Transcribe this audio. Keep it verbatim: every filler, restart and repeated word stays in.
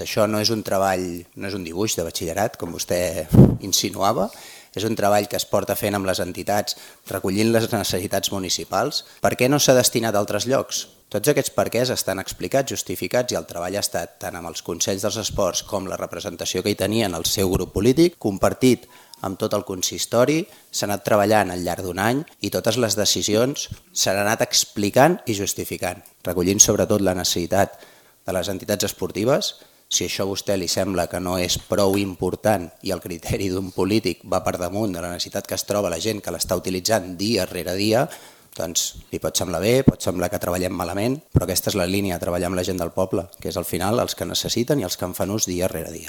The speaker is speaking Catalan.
Això no és un treball, no és un dibuix de batxillerat, com vostè insinuava, és un treball que es porta fent amb les entitats, recollint les necessitats municipals. Per què no s'ha destinat a altres llocs? Tots aquests perquès estan explicats, justificats, i el treball ha estat tant amb els Consells dels Esports com la representació que hi tenien el seu grup polític, compartit amb tot el consistori, s'ha anat treballant al llarg d'un any i totes les decisions s'han anat explicant i justificant, recollint sobretot la necessitat de les entitats esportives. Si això a vostè li sembla que no és prou important i el criteri d'un polític va per damunt de la necessitat que es troba la gent que l'està utilitzant dia rere dia, doncs li pot semblar bé, pot semblar que treballem malament, però aquesta és la línia, treballar amb la gent del poble, que és al final els que necessiten i els que en fan ús dia rere dia.